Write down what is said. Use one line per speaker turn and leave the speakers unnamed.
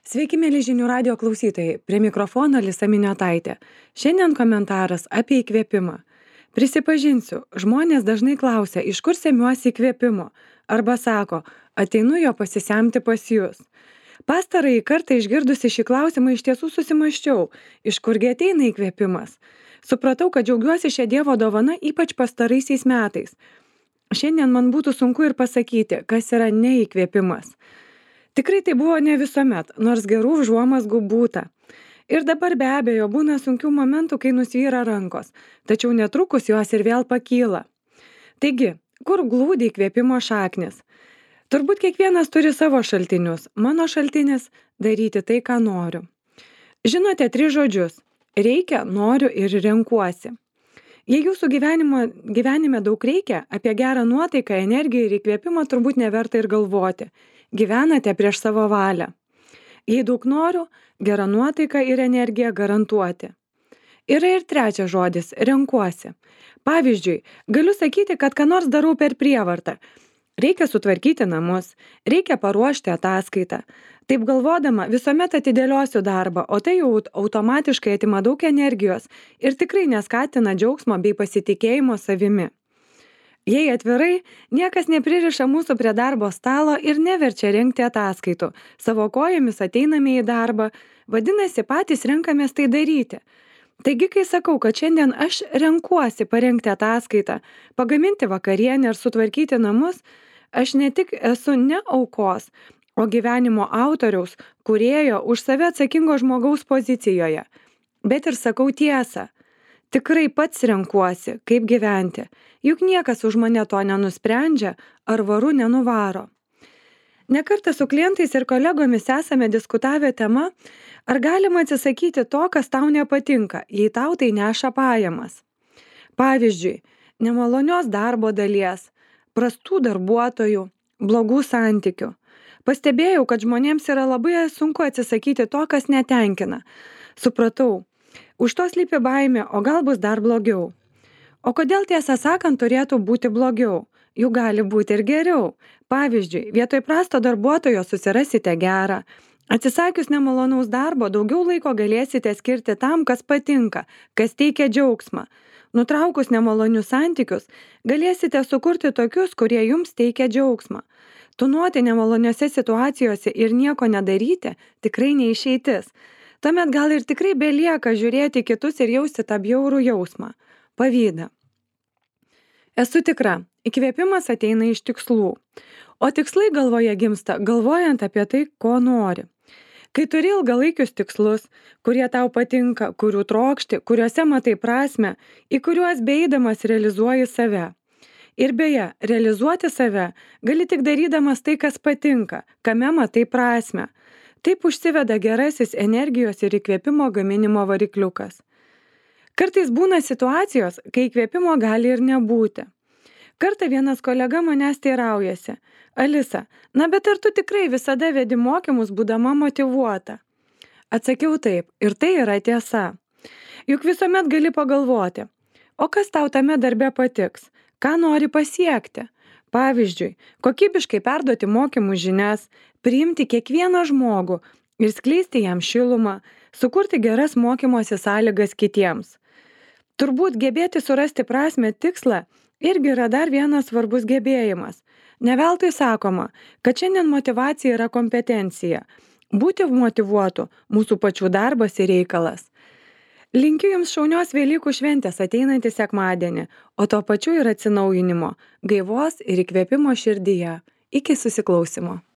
Sveiki, mėly žinių radio klausytojai. Prie mikrofono Lisa Miniotaitė. Šiandien komentaras apie įkvėpimą. Prisipažinsiu, žmonės dažnai klausia, iš kur semiuosi įkvėpimo. Arba sako, ateinu jo pasisemti pas jūs. Pastarąjį kartą išgirdusi šį klausimą iš tiesų susimąsčiau, iš kurgi ateina įkvėpimas. Supratau, kad džiaugiuosi šią Dievo dovaną ypač pastaraisiais metais. Šiandien man būtų sunku ir pasakyti, kas yra neįkvėpimas. Tikrai tai buvo ne visuomet, nors gerų užuomazgų būta. Ir dabar be abejo būna sunkių momentų, kai nusvyra rankos, tačiau netrukus jos ir vėl pakyla. Taigi, kur glūdi įkvėpimo šaknis? Turbūt kiekvienas turi savo šaltinius. Mano šaltinis – daryti tai, ką noriu. Žinote 3 žodžius – reikia, noriu ir renkuosi. Jei jūsų gyvenime daug reikia, apie gerą nuotaiką, energiją ir įkvėpimą turbūt neverta ir galvoti. Gyvenate prieš savo valią. Jei daug noriu, gera nuotaika ir energija garantuoti. Yra ir 3 žodis – renkuosi. Pavyzdžiui, galiu sakyti, kad ką nors darau per prievartą. Reikia sutvarkyti namus, reikia paruošti ataskaitą. Taip galvodama, visuomet atidėliosiu darbą, o tai jau automatiškai atima daug energijos ir tikrai neskatina džiaugsmo bei pasitikėjimo savimi. Jei atvirai, niekas nepririša mūsų prie darbo stalo ir neverčia rengti ataskaitų. Savo kojomis ateiname į darbą, vadinasi, patys renkamės tai daryti. Taigi, kai sakau, kad šiandien aš renkuosi parengti ataskaitą, pagaminti vakarienę ar sutvarkyti namus, aš ne tik esu ne aukos, o gyvenimo autoriaus, kūrėjo, už save atsakingo žmogaus pozicijoje. Bet ir sakau tiesą. Tikrai pats renkuosi, kaip gyventi. Juk niekas už mane to nenusprendžia ar varu nenuvaro. Nekartą su klientais ir kolegomis esame diskutavę tema, ar galima atsisakyti to, kas tau nepatinka, jei tau tai neša pajamas. Pavyzdžiui, nemalonios darbo dalies, prastų darbuotojų, blogų santykių. Pastebėjau, kad žmonėms yra labai sunku atsisakyti to, kas netenkina. Supratau, už to slypi baimė, o gal bus dar blogiau. O kodėl tiesą sakant turėtų būti blogiau? Juk gali būti ir geriau. Pavyzdžiui, vietoj prasto darbuotojo susirasite gerą. Atsisakius nemalonaus darbo, daugiau laiko galėsite skirti tam, kas patinka, kas teikia džiaugsmą. Nutraukus nemalonius santykius, galėsite sukurti tokius, kurie jums teikia džiaugsmą. Tūnoti nemaloniose situacijose ir nieko nedaryti tikrai neišeitis. Tuomet gal ir tikrai belieka žiūrėti kitus ir jausti tą bjaurų jausmą – pavydą. Esu tikra, įkvėpimas ateina iš tikslų, o tikslai galvoje gimsta, galvojant apie tai, ko nori. Kai turi ilgalaikius tikslus, kurie tau patinka, kurių trokšti, kuriuose matai prasmę, į kuriuos beeidamas realizuoji save. Ir beje, realizuoti save gali tik darydamas tai, kas patinka, kame matai prasmę. Taip užsiveda gerasis energijos ir įkvėpimo gaminimo varikliukas. Kartais būna situacijos, kai įkvėpimo gali ir nebūti. Kartą vienas kolega manęs teiraujasi, Alisa, na bet ar tu tikrai visada vedi mokymus būdama motyvuota? Atsakiau taip, ir tai yra tiesa. Juk visuomet gali pagalvoti, o kas tau tame darbe patiks, ką nori pasiekti? Pavyzdžiui, kokybiškai perduoti mokymų žinias, priimti kiekvieną žmogų ir skleisti jam šilumą, sukurti geras mokymosi sąlygas kitiems. Turbūt gebėti surasti prasmę tikslą irgi yra dar vienas svarbus gebėjimas. Ne veltui sakoma, kad šiandien motyvacija yra kompetencija. Būti motyvuotu – mūsų pačių darbas ir reikalas. Linkiu Jums šaunios Velykų šventės ateinantį sekmadienį, o tuo pačiu ir atsinaujinimo, gaivos ir įkvėpimo širdyje. Iki susiklausymo.